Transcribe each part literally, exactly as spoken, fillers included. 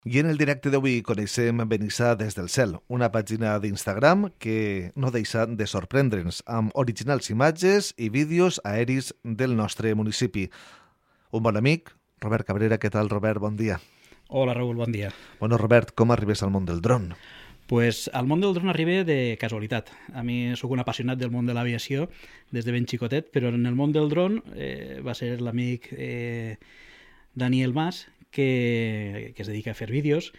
I en el directe d'avui coneixem Benissa des del cel, una pàgina d'Instagram que no deixa de sorprendre'ns amb originals imatges i vídeos aeris del nostre municipi. Un bon amic, Robert Cabrera. Què tal, Robert? Bon dia. Hola, Raül, bon dia. Bueno, Robert, com arribes al món del dron? Pues al món del dron arribé de casualitat. A mi sóc un apassionat del món de l'aviació des de ben xicotet, però en el món del dron eh, va ser l'amic eh, Daniel Mas, que, que es dedica a fer vídeos,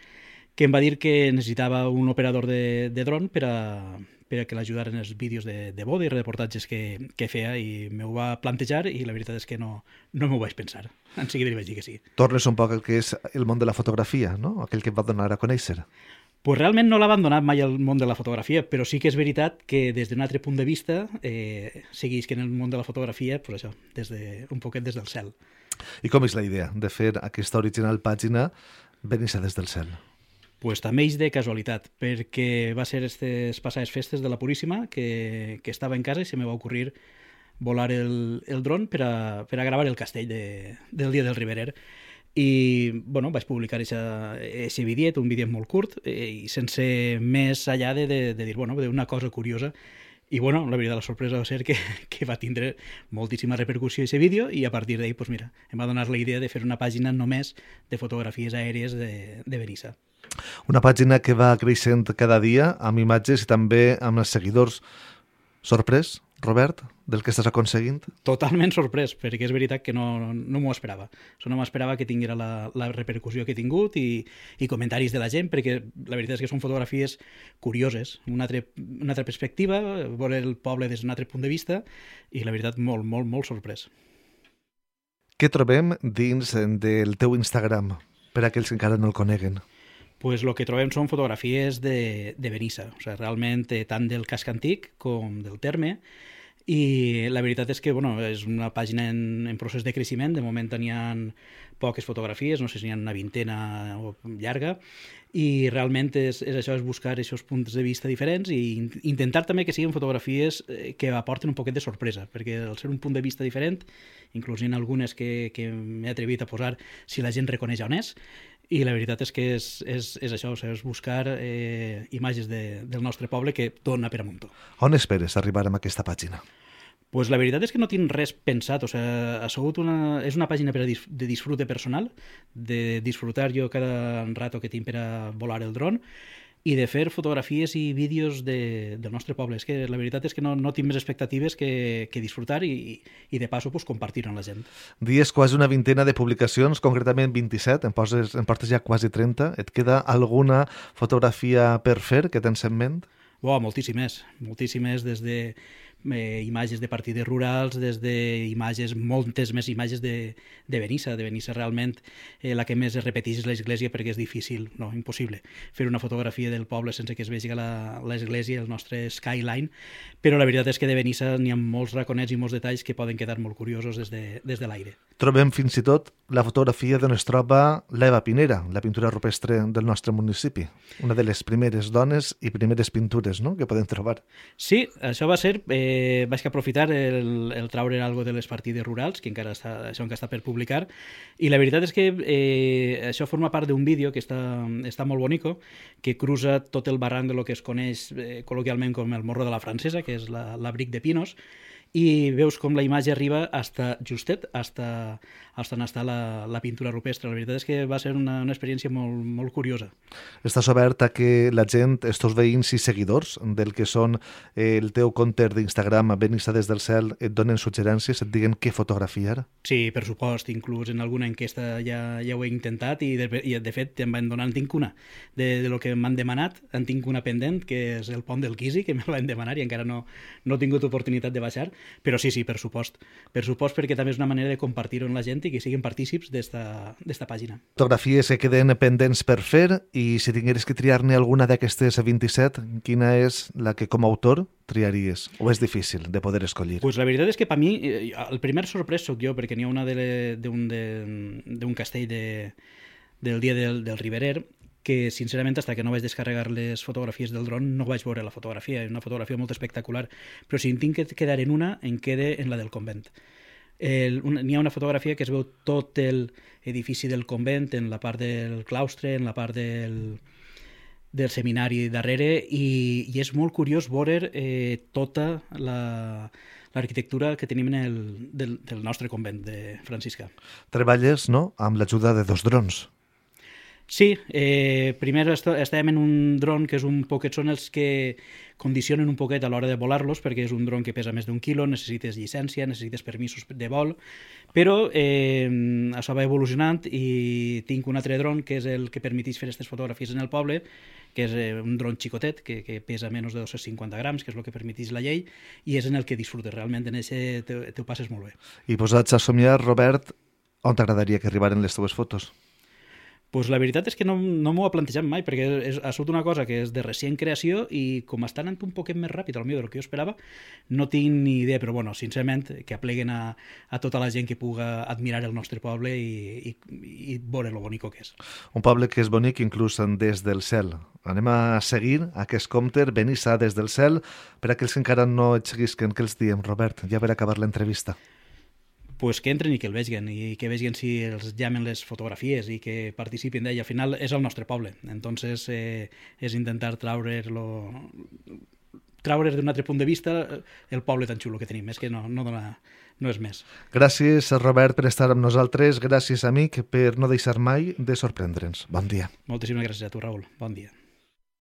que em va dir que necessitava un operador de, de dron per a, per a que l'ajudaren els vídeos de, de boda i reportatges que, que feia, i m'ho va plantejar i la veritat és que no, no m'ho vaig pensar. En seguida li vaig dir que sí. Tornes un poc al que és el món de la fotografia, no? Aquell que et va donar a conèixer. Pues realment no l'ha abandonat mai el món de la fotografia, però sí que és veritat que des d'un altre punt de vista eh, segueix que en el món de la fotografia, pues això, des de, un poquet des del cel. I com és la idea de fer aquesta original pàgina Benissa des del cel? Pues també és de casualitat, perquè va ser aquestes passades festes de la Puríssima que, que estava en casa i se me va ocorrir volar el, el dron per a, per a gravar el castell de, del dia del Riberer. I bueno, vaig publicar aquest vídeo, un vídeo molt curt eh, i sense més allà de, de, de dir, bueno, una cosa curiosa. I bueno, la veritat, la sorpresa va ser que, que va tindre moltíssima repercussió aquest vídeo, i a partir d'ahir, pues mira, em va donar la idea de fer una pàgina només de fotografies aèries de, de Benissa. Una pàgina que va creixent cada dia amb imatges i també amb els seguidors. Sorprès, Robert, del que estàs aconseguint? Totalment sorprès, perquè és veritat que no, no m'ho esperava. So, no m'esperava que tinguera la, la repercussió que he tingut i, i comentaris de la gent, perquè la veritat és que són fotografies curioses, una altra, una altra perspectiva, veure el poble des d'un altre punt de vista, i la veritat molt, molt, molt sorprès. Què trobem dins del teu Instagram, per a aquells que encara no el coneguen? Pues el que trobem són fotografies de, de Benissa, o sigui, realment eh, tant del casc antic com del terme, i la veritat és que bueno, és una pàgina en, en procés de creixement. De moment tenien poques fotografies, no sé si n'hi ha una vintena o llarga, i realment és, és això, és buscar aquests punts de vista diferents i intentar també que siguin fotografies que aporten un poquet de sorpresa, perquè al ser un punt de vista diferent, inclús en algunes que, que m'he atrevit a posar si la gent reconeix on és, i la veritat és que és, és, és això, o sigui, és buscar eh, imatges de, del nostre poble que dona per amunt. On esperes arribar amb aquesta pàgina? Pues la veritat és que no tinc res pensat, o sigui, ha sigut una, és una pàgina per a dis, de disfrute personal, de disfrutar jo cada rato que tinc per a volar el dron, i de fer fotografies i vídeos de, del nostre poble. És que la veritat és que no, no tinc més expectatives que, que disfrutar i, i de passo pues, compartir-ho amb la gent. Dies quasi una vintena de publicacions, concretament vint-i-set, en, poses, en portes ja quasi trenta. Et queda alguna fotografia per fer que tens en ment? Oh, moltíssimes, moltíssimes, des de eh, imatges de partides rurals, des de imatges, moltes més imatges de, de Benissa. De Benissa realment eh, la que més es repeteix és l'església, perquè és difícil, no, impossible, fer una fotografia del poble sense que es vegi l'església, el nostre skyline, però la veritat és que de Benissa n'hi ha molts raconets i molts detalls que poden quedar molt curiosos des de, des de l'aire. Trobem fins i tot la fotografia d'on es troba l'Eva Pinera, la pintura rupestre del nostre municipi, una de les primeres dones i primeres pintures, no?, que podem trobar. Sí, això va ser, eh, vaig aprofitar el, el traure algo de les partides rurals, que encara està, això encara està per publicar, i la veritat és que eh, això forma part d'un vídeo que està, està molt bonico, que cruza tot el barranc de lo que es coneix eh, col·loquialment com el Morro de la Francesa, que és la, l'abric de pinos, i veus com la imatge arriba hasta justet, hasta, hasta on està la, la pintura rupestre. La veritat és que va ser una, una experiència molt, molt curiosa. Estàs obert a que la gent, estos veïns i seguidors del que són el teu compte d'Instagram, Benissa des del cel, et donen suggerències, et diguen què fotografiar? Sí, per supost, inclús en alguna enquesta ja, ja ho he intentat, i de, i de fet em van donar, en tinc una, de, de lo que m'han demanat, en tinc una pendent, que és el pont del Quisi, que me l'han demanat i encara no, no he tingut oportunitat de baixar. Però sí, sí, per supost. Per supost, perquè també és una manera de compartir-ho amb la gent i que siguin partícips d'esta pàgina. Fotografies que queden pendents per fer, i si tingueres que triar-ne alguna d'aquestes vint-i-set, quina és la que com a autor triaries? O és difícil de poder escollir? Pues la veritat és que per mi, el primer sorprès sóc jo, perquè n'hi ha una d'un castell de, del dia del, del Riberer, que sincerament, fins que no vaig descarregar les fotografies del dron, no vaig veure la fotografia. És una fotografia molt espectacular, però si en tinc que quedar en una, en quede en la del convent. n'hi ha una fotografia que es veu tot l'edifici del convent, en la part del claustre, en la part del, del seminari darrere, i, i és molt curiós veure eh, tota la, l'arquitectura que tenim en el, del, del nostre convent de franciscà. Treballes, no?, amb l'ajuda de dos drons. Sí, eh, primer est estàvem en un dron que és un poquet, són els que condicionen un poquet a l'hora de volar-los, perquè és un dron que pesa més d'un quilo, necessites llicència, necessites permisos de vol, però eh, això va evolucionant i tinc un altre dron que és el que permeteix fer aquestes fotografies en el poble, que és eh, un dron xicotet, que, que pesa menys de dos-cents cinquanta grams, que és el que permeteix la llei, i és en el que disfrutes realment, en aquest te, te ho passes molt bé. I posats a somiar, Robert, on t'agradaria que arribaren les teves fotos? Pues la veritat és que no, no m'ho he plantejat mai, perquè és, ha sigut una cosa que és de recient creació i com està anant un poquet més ràpid al millor del que jo esperava, no tinc ni idea, però bueno, sincerament, que apleguen a, a tota la gent que puga admirar el nostre poble i, i, i veure lo bonico que és. Un poble que és bonic inclús des del cel. Anem a seguir aquest compte, Benissa des del cel. Per aquells que encara no et seguisquen, què els diem, Robert? Ja per acabar l'entrevista. Pues que entren i que el vegin, i que vegin si els llamen les fotografies i que participin d'ell. Al final és el nostre poble, entonces eh, és intentar traure-lo, traure d'un altre punt de vista el poble tan xulo que tenim, és que no, no, dona, no és més. Gràcies, Robert, per estar amb nosaltres, gràcies, amic, per no deixar mai de sorprendre'ns. Bon dia. Moltíssimes gràcies a tu, Raül. Bon dia.